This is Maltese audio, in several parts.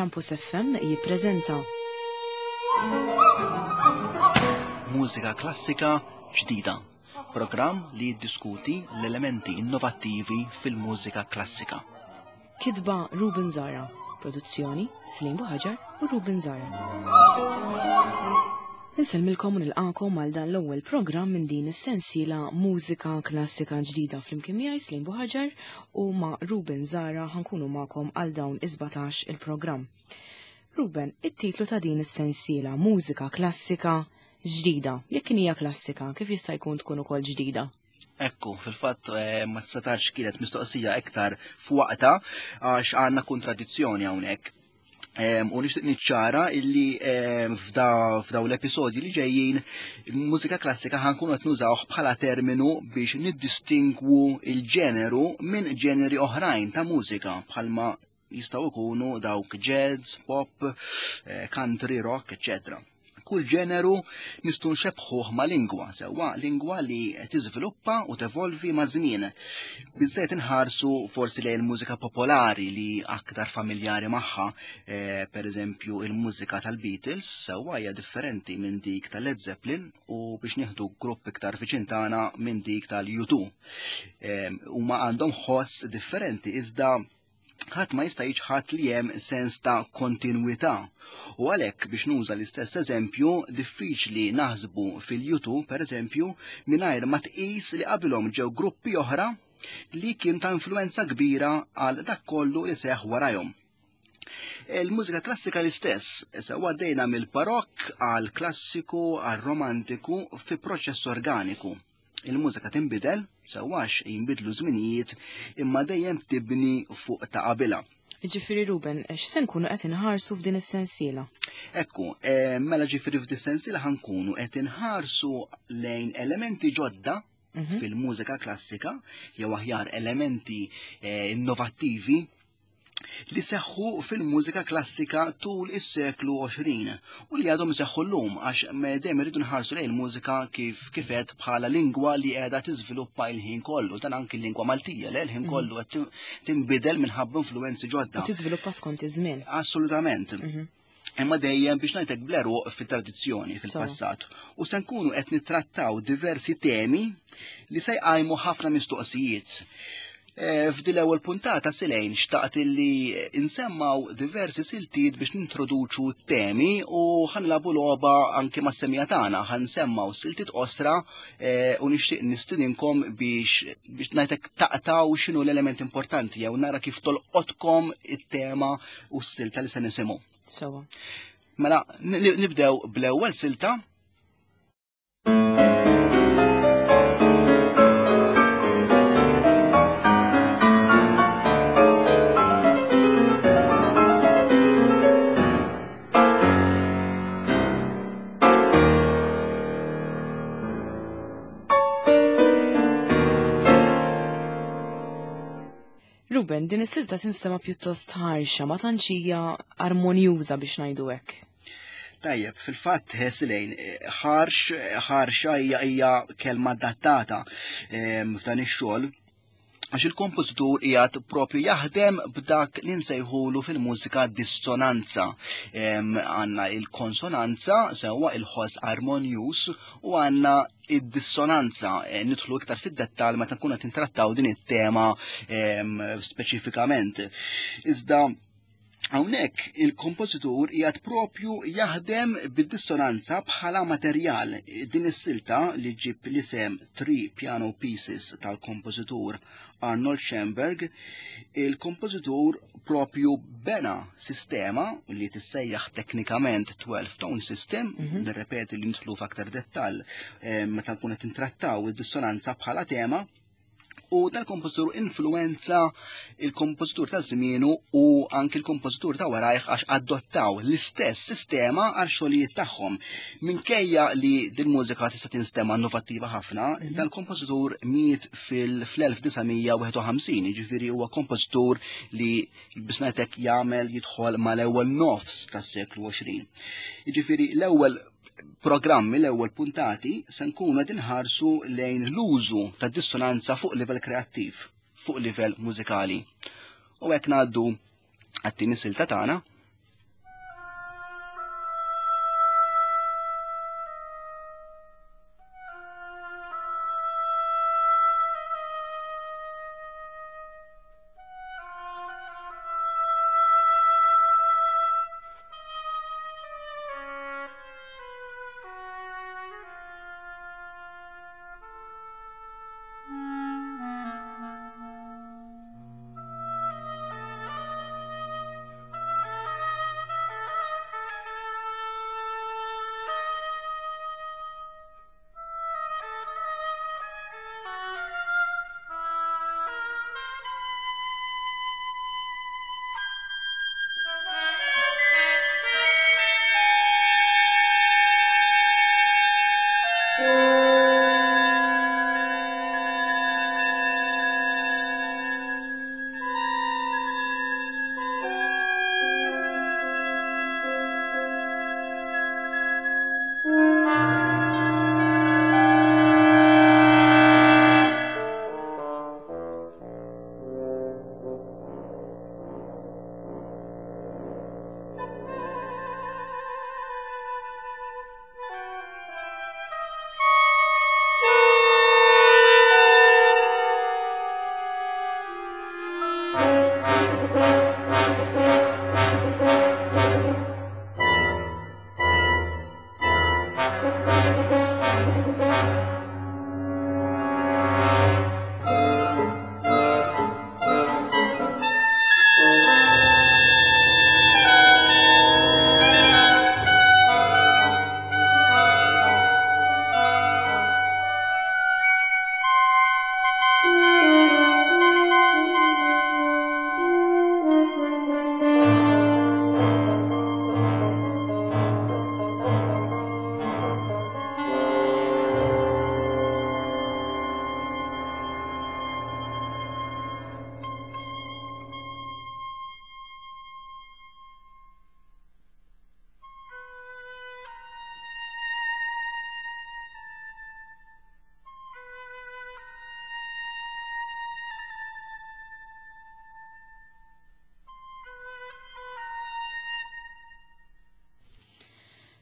Campus FM jippreżenta Mużika klassika ġdida. Programm li jiddiskuti l-elementi innovattivi fil-mużika klassika. Kitba Ruben Zara, produzzjoni Slim Buħaġar u Ruben Zara. Insellmilkom u nilqakom għal dan l-ewwel programm minn din is-sensiela Mużika Klassika Ġdida flimkien miegħi Slim Buħaġar u ma' Ruben Zara ħankunu magħkom għal dawn is-17 il-programm. Ruben, it-titlu ta' din is-sensiela Mużika Klassika Ġdida. Jekk hija klassika, kif jista' jkun tkun ukoll ġdida? Ekku, fil-fatt eh, ma setax kienet mistoqsija iktar f'waqta għax għandna kontradizzjoni hawnhekk. U nixtieq niċċara illi f'daw l-episodji li ġejjin il-mużika klassika ħankunu qed nużawh bħala terminu biex niddistingwu il-ġeneru minn ġeneri oħrajn ta' mużika bħalma jistgħu jkunu dawk jazz, pop, eh, country, rock, eccetera. Kull ġeneru nistgħu nxebbħuh ma' lingwa, sewwa lingwa li tiżviluppa u tevolvi ma' żmien. Biżżejjed inħarsu forsi lejn il-mużika popolari li aktar familjari magħha, eh, per eżempju il-mużika tal-Beatles sewwa hija differenti minn dik tal-Led Zeppelin u biex nieħdu grupp iktar viċin tagħna minn dik tal-U2. Eh, huma għandhom ħoss differenti iżda ħadd ma jista' jiċħad li hemm sens ta' kontinwità. U għalhekk biex nuża l-istess eżempju, diffiċli naħsbu fil-U2 pereżempju mingħajr ma tqis li qabilhom ġew gruppi oħra li kien ta' influenza kbira għal dak kollu li seħ warajhom. Il-mużika klassika l-istess, sewa għaddejna mill-barokk għal klassiku għal romantiku fi proċess organiku. Il-mużika tinbidel, sewwax jinbidlu żminijiet, imma dejjem tibni fuq ta' qabilha. Ġifieri Ruben, x'se nkunu qed inħarsu f'din is-sensiela? Ekku, eh, mela ġifieri f'din is-sensiela ħankunu qed inħarsu lejn elementi ġodda mhm. fil-mużika klassika, jew aħjar elementi eh, innovattivi li seħħu fil-mużika klassika tul is-seklu 20 u li għadhom iseħħu llum għax dejjem irridu nħarsu lejn il-mużika kif kifet bħala lingwa li qiegħda tiżviluppa il-ħin kollu, dan anki l-lingwa Maltija le l-ħin mm. kollu qed tinbidel minħabba influenzi ġodda. U tiżviluppa skont iż-żmien. Assolutament. Mhm. Imma dejjem biex ngħidlek bleru fit-tradizzjoni fil-passat. U se nkunu qed nittrattaw diversi temi li se jqajmu ħafna mistoqsijiet. E, f'dil ewwel puntata silejn xtaqt illi insemmaw diversi siltiet biex nintroduċu temi u ħanlabu logħba anke mas-semija tagħna, ħansemmaw siltiet qosra e, u nixtieq nistidinkom biex biex ngħidlek taqtaw x'inhu l-element importanti jew nara kif tolqotkom it-tema u s-silta li se nisimgħu. Sewa. Mela, nibdew bl-ewwel silta. Ruben, din is-silta tinstema' pjuttost ħarxa, ma tantx hija armonjuża biex ngħidu hekk. Tajjeb, fil-fatt Silejn, ħarx, ħarxa hija hija kelma adattata ehm, f'dan ix-xogħol għax il-kompożitur qiegħed propju jaħdem b'dak li nsejħulu fil-mużika dissonanza. Għandna il-konsonanza, sewwa il-ħoss armonjuż, u għandna id-dissonanza. Eh, nidħlu iktar fid-dettall meta nkunu qed intrattaw din it-tema speċifikament. Iżda Hawnhekk il-kompożitur qiegħed propju jaħdem bid-dissonanza bħala materjal. Din is-silta li ġib l-isem Three Piano Pieces tal-kompożitur Arnold Schoenberg, il-kompożitur propju bena sistema li tissejjaħ teknikament 12 tone system, mm -hmm. nirrepeti li nidħlu f'aktar dettall eh, meta nkun qed intrattaw id-dissonanza bħala tema, U dal-kompożitur influenza il-kompożitur ta' żmienu u anki l-kompożitur ta' warajh għax adottaw l-istess sistema għal xogħlijiet tagħhom. Minkejja li din mużika tista' tinstema' innovattiva ħafna, mhm. dal-kompożitur miet fil-1951, jiġifieri huwa kompożitur li biex ngħidlek jagħmel jidħol mal-ewwel nofs tas-seklu 20. Jiġifieri l-ewwel programmi l-ewwel puntati se nkunu qed inħarsu lejn l-użu ta' dissonanza fuq livell kreattiv, fuq livell mużikali. U hekk ngħaddu għat-tieni silta tagħna.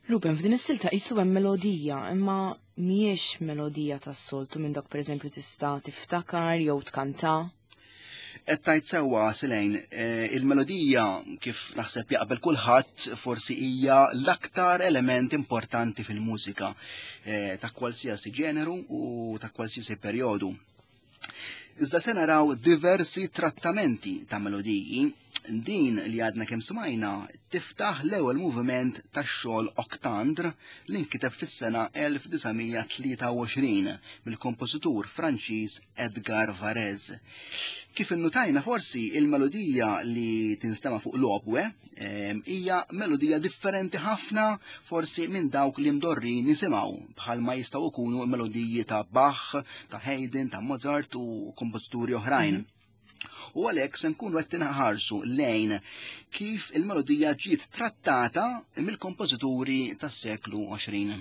Ruben, f'din is-silta qisu hemm melodija, imma mhijiex melodija tas-soltu minn dak pereżempju tista' tiftakar jew tkanta. Qed tajt sewwa Silejn, eh, il-melodija kif naħseb jaqbel kulħadd forsi hija l-aktar element importanti fil-mużika eh, ta' kwalsiasi ġeneru u ta' kwalsiasi perjodu. Iżda se naraw diversi trattamenti ta' melodiji. Din li għadna kemm smajna tiftaħ l-ewwel moviment tax-xogħol Octandre li nkiteb fis-sena 1923 mill-kompożitur Franċiż Edgar Varèse. Kif innutajna forsi il-melodija li tinstema' fuq l-obwe ehm, hija melodija differenti ħafna forsi minn dawk li mdorrin nisimgħu bħalma jistgħu jkunu melodiji ta' Bach, ta' Haydn, ta' Mozart u kompożituri oħrajn. Mhm. U għalhekk se nkunu qed tinħarsu lejn kif il-melodija ġiet trattata mill-kompożituri tas-seklu 20.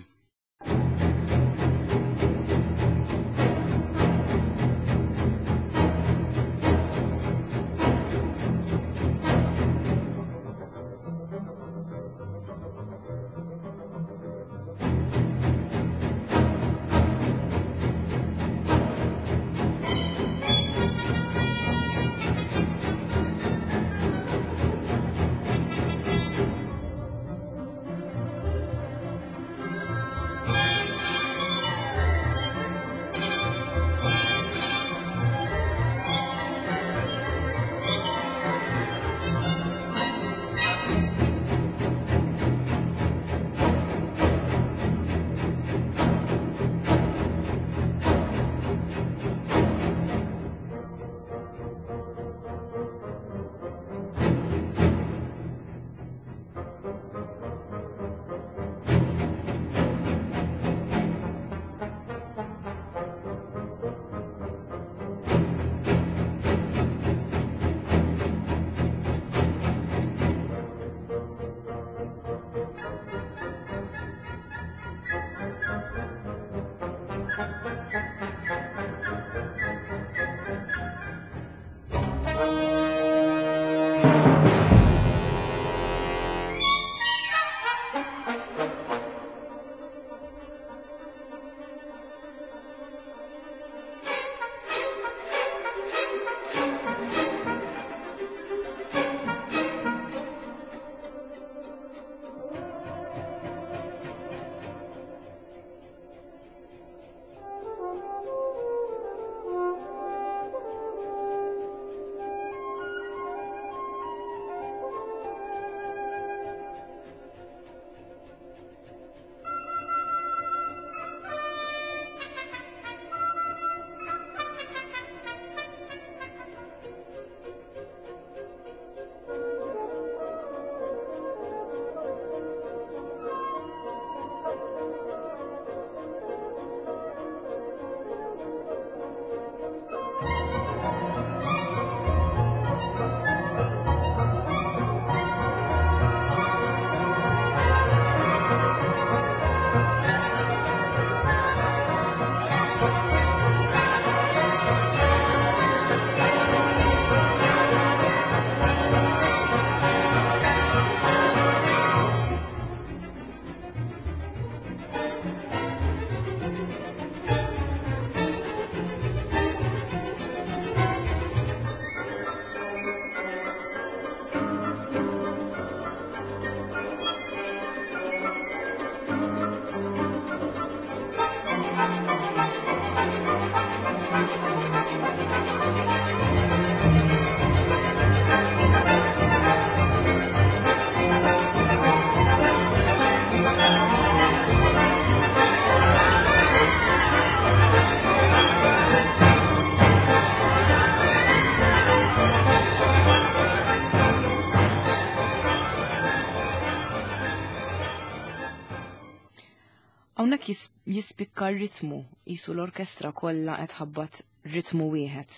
Hawnhekk jispikka r-ritmu, jisu l-orkestra kollha qed ħabbat ritmu wieħed.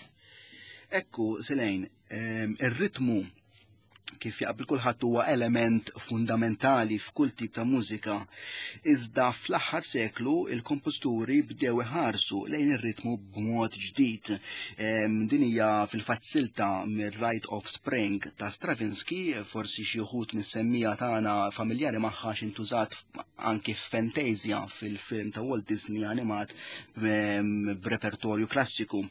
Ekku, Selejn, ehm, ir-ritmu Kif jaqbel kulħadd huwa element fundamentali f'kull tip ta' mużika. Iżda fl-aħħar seklu il-kompożituri bdew iħarsu lejn ir-ritmu b'mod ġdid. Din hija fil-fatt silta mir-Rite of Spring ta' Stravinsky, forsi xi wħud mis-semmija tagħna familjari magħha x'intużat anki f'Fantasia fil-film ta' Walt Disney animat b'repertorju klassiku.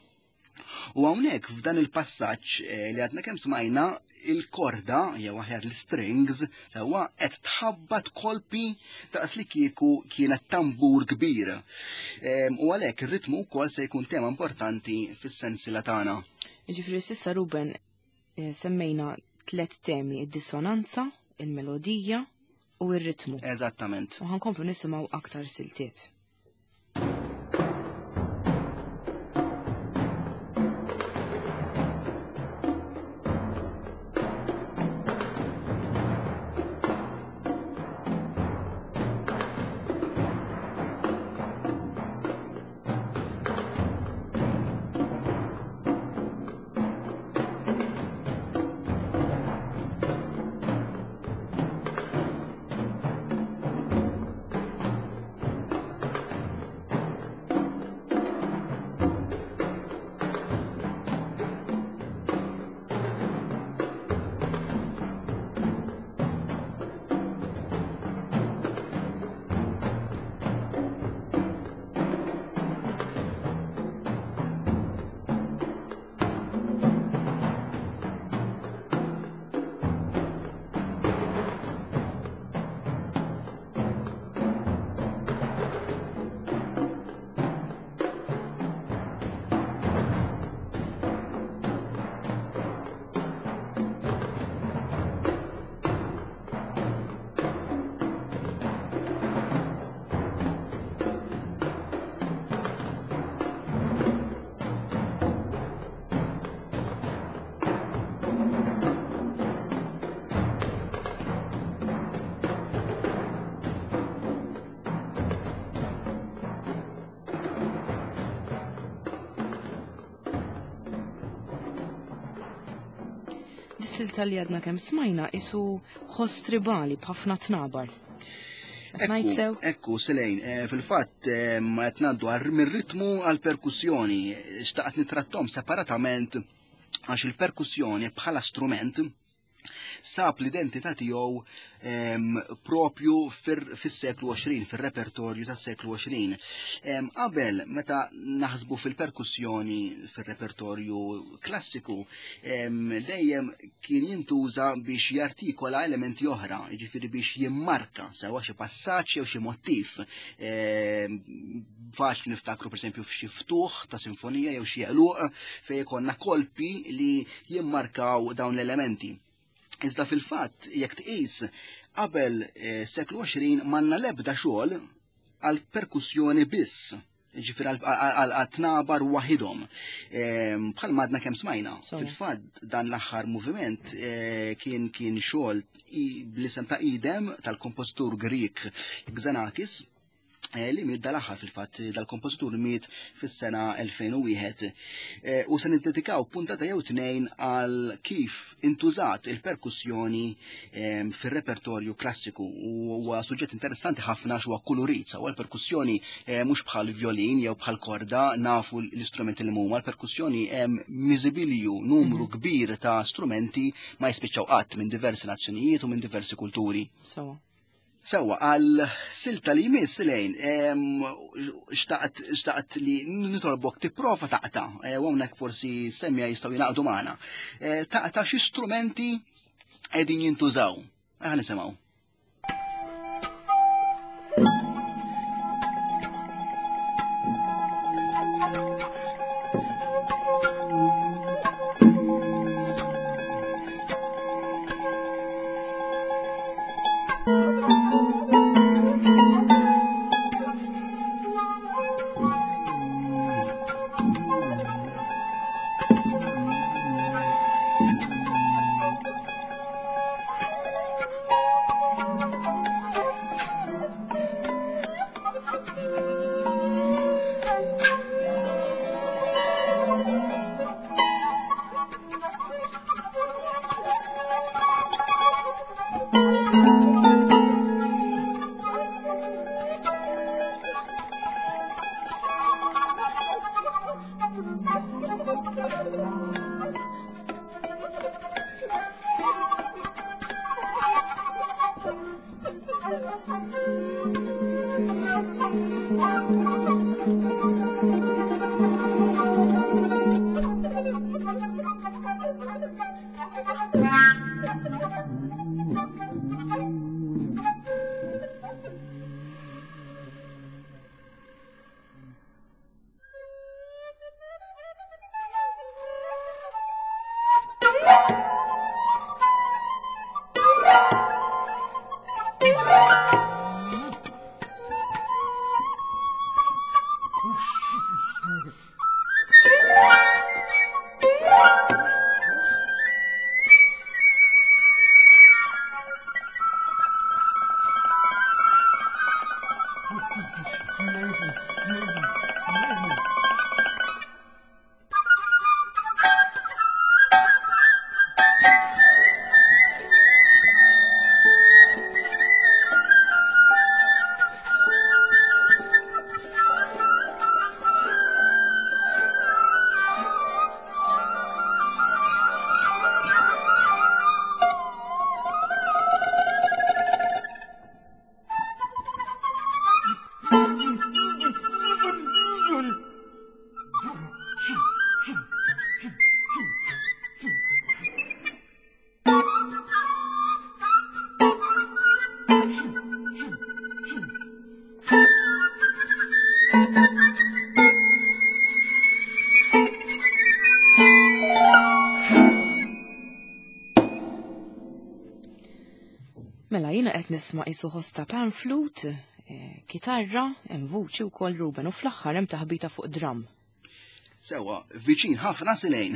U hawnhekk f'dan il-passaġġ eh, li għadna kemm smajna il-korda jew aħjar l-strings sewwa qed tħabbat kolpi daqs li kieku kienet tambur kbir. Ehm, u għalhekk ir-ritmu wkoll se jkun tema importanti fis-sensiela tagħna. Jiġifieri s'issa Ruben eh, semmejna tliet temi, id-dissonanza, il-melodija u r-ritmu. Eżattament. U ħankomplu nisimgħu aktar siltiet. Dis-silta li għadna kemm smajna isu ħoss tribali b'ħafna tnabar. Ekku, ekku, Selejn, eh, fil-fatt eh, ma qed ngħaddu mir-ritmu għal perkussjoni, xtaqt nitrattom separatament għax il-perkussjoni bħala strument sab l-identità tiegħu propju fis-seklu 20, fir-repertorju tas-seklu 20. Qabel, meta naħsbu fil-perkussjoni fir-repertorju klassiku, dejjem kien jintuża biex jartikola elementi oħra, jiġifieri biex jimmarka sewa xi passaġġ jew xi mottiv. Faċli niftakru pereżempju f'xi ftuħ ta' sinfonija jew xi għeluq fejn ikollna kolpi li jimmarkaw dawn l-elementi. Iżda fil-fatt, jekk tqis, qabel eh, seklu 20 manna lebda xogħol għal perkussjoni biss, ġifir għal tnabar waħidhom. Ehm, bħal madna kemm smajna. Fil-fatt dan l-aħħar moviment eh, kien kien xogħol bl-isem ta' idem tal-kompożitur Grik Xenakis Eh, li miet dal-aħħar fil-fatt dal-kompożitur miet fis-sena 2001. Eh, u se niddedikaw puntata jew tnejn għal kif intużat il-perkussjoni eh, fir-repertorju klassiku u huwa suġġett interessanti ħafna x'huwa kulurit sawa l-perkussjoni mhux bħal violin jew bħal korda nafu l-istrumenti li huma l-perkussjoni hemm miżibilju numru mhm. kbir ta' strumenti ma jispiċċaw qatt minn diversi nazzjonijiet u minn diversi kulturi. Sawa. Sewwa, għal silta li jmiss lejn, xtaqt li nitolbok tipprova taqta, e, u hawnhekk forsi semmija jistgħu jingħaqdu magħna. E, taqta xi strumenti qegħdin jintużaw. Aħna nisimgħu. Mela jiena qed nisma' qisu ħoss ta' pan flute, eh, kitarra, hemm vuċi wkoll Ruben u fl-aħħar hemm taħbita fuq drum. Sewa, viċin ħafna silejn,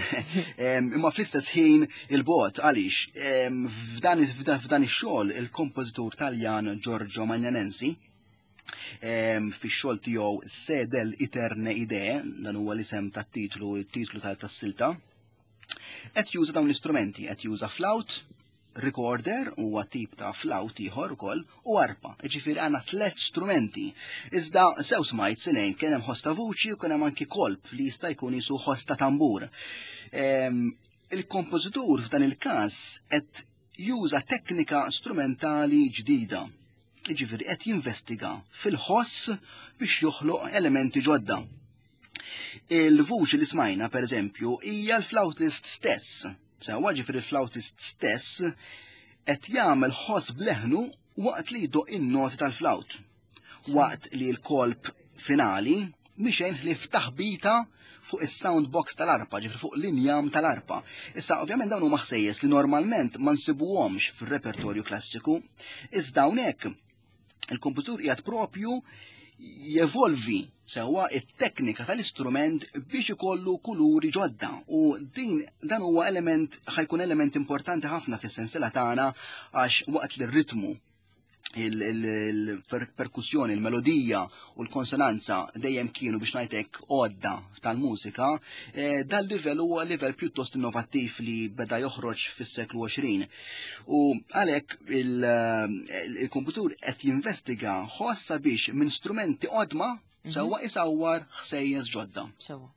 imma fl-istess ħin il-bot għaliex f'dan ix-xogħol il-kompożitur Taljan Giorgio Magnanensi fix-xogħol tiegħu Sedel Eterne Idee, dan huwa l-isem tat-titlu, it-titlu tas-silta, qed juża dawn l-istrumenti, qed juża flaut, recorder huwa tip ta' flaut ieħor ukoll u arpa. Jiġifieri għandna tliet strumenti. Iżda sew smajt silejn kien hemm ħoss ta' vuċi u kien hemm anki kolp li jista' jkun jisu ħoss ta' tambur. Il-kompożitur f'dan il-każ qed juża teknika strumentali ġdida. Jiġifieri qed jinvestiga fil-ħoss biex joħloq elementi ġodda. Il-vuċi li smajna, per eżempju, hija l-flautist stess. Sewwa ġifieri l-flautist stess qed jagħmel ħoss bleħnu waqt li jdoq in-noti tal-flawt. Waqt li l-kolp finali mixejn ħlief taħbita fuq is-sound box tal-arpa, ġifri fuq l-injam tal-arpa. Issa, ovvjament dawn huma ħsejjes li normalment ma nsibuhomx fir-repertorju klassiku, iżda hawnhekk il-kompożitur qiegħed propju jevolvi sewwa it-teknika tal-istrument biex ikollu kuluri ġodda u din dan huwa element ħajkun element importanti ħafna fis-sensiela tagħna għax waqt li r-ritmu il-perkussjoni, il-melodija u l-konsonanza dejjem kienu biex ngħidlek għodda tal-mużika, eh, dal livell huwa livell pjuttost innovattiv li beda joħroġ fis-seklu 20. U għalhekk il-komputur qed jinvestiga ħoss sabiex minn strumenti qodma mhm. sewwa isawwar ħsejjes ġodda. Sewwa.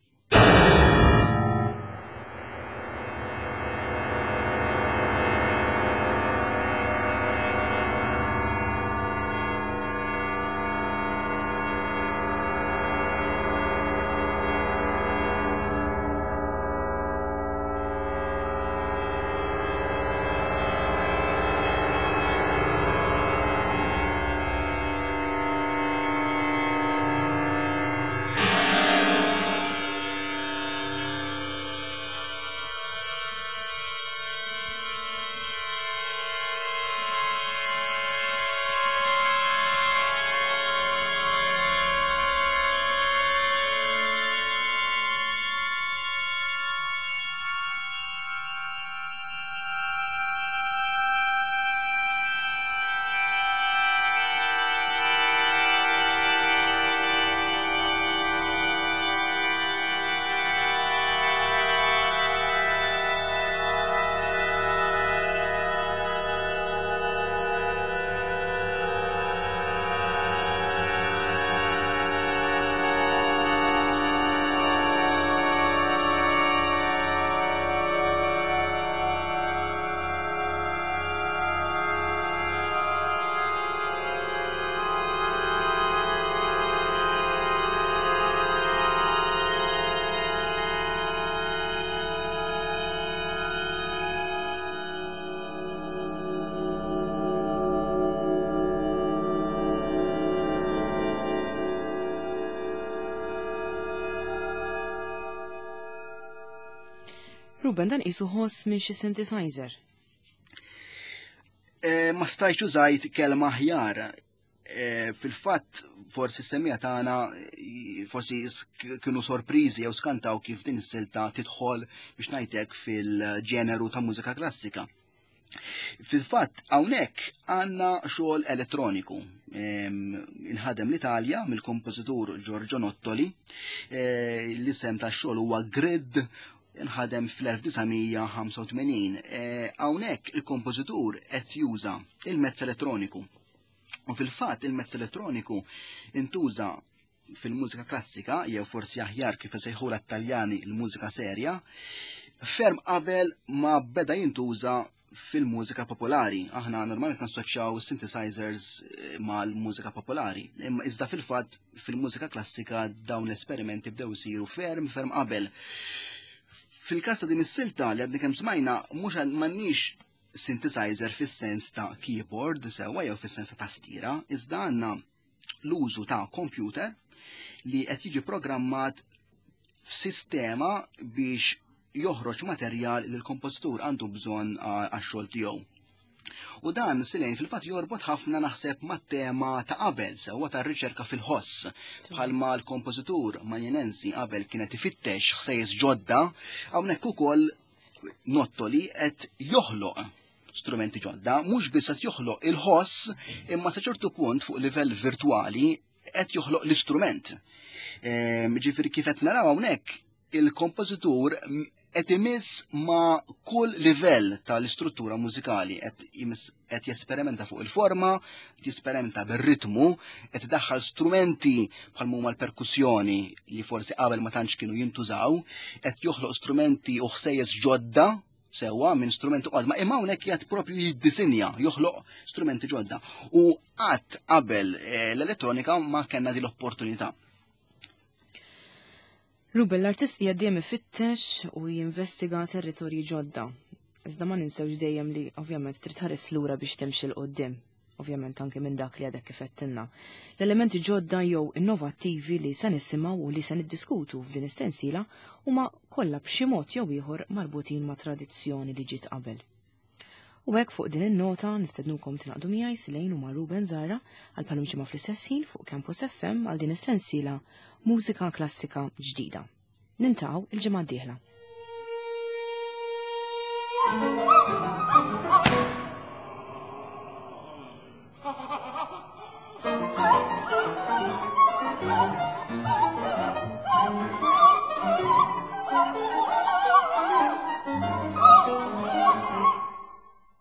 Ruben, dan qisu ħoss minn xi synthesizer. Eh, ma stajtx użajt kelma aħjar. Eh, fil-fatt forsi semmija tagħna forsi kienu sorpriżi jew skantaw kif din is-silta tidħol biex ngħidlek fil-ġeneru ta' mużika klassika. Fil-fatt hawnhekk għandna xogħol elettroniku. Inħadem l-Italja mill-kompożitur Giorgio Nottoli, eh, l-isem tax-xogħol huwa Grid inħadem fl-1985. Eh, hawnhekk il-kompożitur qed juża il-mezz elettroniku. U fil-fatt il-mezz elettroniku intuża fil-mużika klassika, jew forsi aħjar kif isejħula t-Taljani l-mużika serja, ferm qabel ma beda jintuża fil-mużika popolari. Aħna normalment nassoċjaw synthesizers eh, mal-mużika popolari. Imma iżda fil-fatt fil-mużika klassika dawn l-esperimenti bdew isiru ferm ferm qabel. Fil-każ ta' din is-silta li għadni kemm smajna mhux m'għandniex synthesizer fis-sens ta' keyboard sewwa jew fis-sens ta' tastiera, iżda għandna l-użu ta' computer li qed jiġi programmat f'sistema biex joħroġ materjal li l-kompożitur għandu bżonn għax-xogħol tiegħu. U dan silejn fil-fatt jorbot ħafna naħseb mat-tema ta' qabel, sewwa tar-riċerka fil-ħoss. Bħalma l-kompożitur Manjenensi qabel kienet ifittex ħsejjes ġodda, hawnhekk ukoll Nottoli qed joħloq strumenti ġodda, mhux biss qed joħloq il-ħoss, imma sa ċertu punt fuq livell virtwali qed joħloq l-istrument. Ehm, ġifieri kif qed naraw hawnhekk il-kompożitur qed imiss ma' kull livell tal-istruttura mużikali, qed jesperimenta fuq il-forma, qed jesperimenta bir-ritmu, qed idaħħal strumenti bħal huma l-perkussjoni li forsi qabel ma tantx kienu jintużaw, qed joħloq strumenti u ħsejjes ġodda sewwa minn strumenti qodma, imma hawnhekk qiegħed propju jiddisinja, joħloq strumenti ġodda. U qatt qabel eh, l-elettronika ma kellna din l-opportunità. Ruben, l-artist qiegħed dejjem ifittex u jinvestiga territorji ġodda. Iżda ma ninsewx dejjem li ovvjament trid tħares lura biex timxi 'l quddiem. Ovvjament anke minn dak li għadek kif għedtilna. L-elementi ġodda jew innovattivi li se nisimgħu u li se niddiskutu f'din is-sensiela huma kollha b'xi mod jew ieħor marbutin ma' tradizzjoni li ġiet qabel. U hekk fuq din in-nota nistednukom tingħaqdu miegħi Silejn u ma' Ruben Zahra għal bħalum ġimgħa fl-istess ħin fuq Campus FM għal din is-sensiela Mużika Klassika Ġdida. Nintaqgħu il-ġimgħa d-dieħla.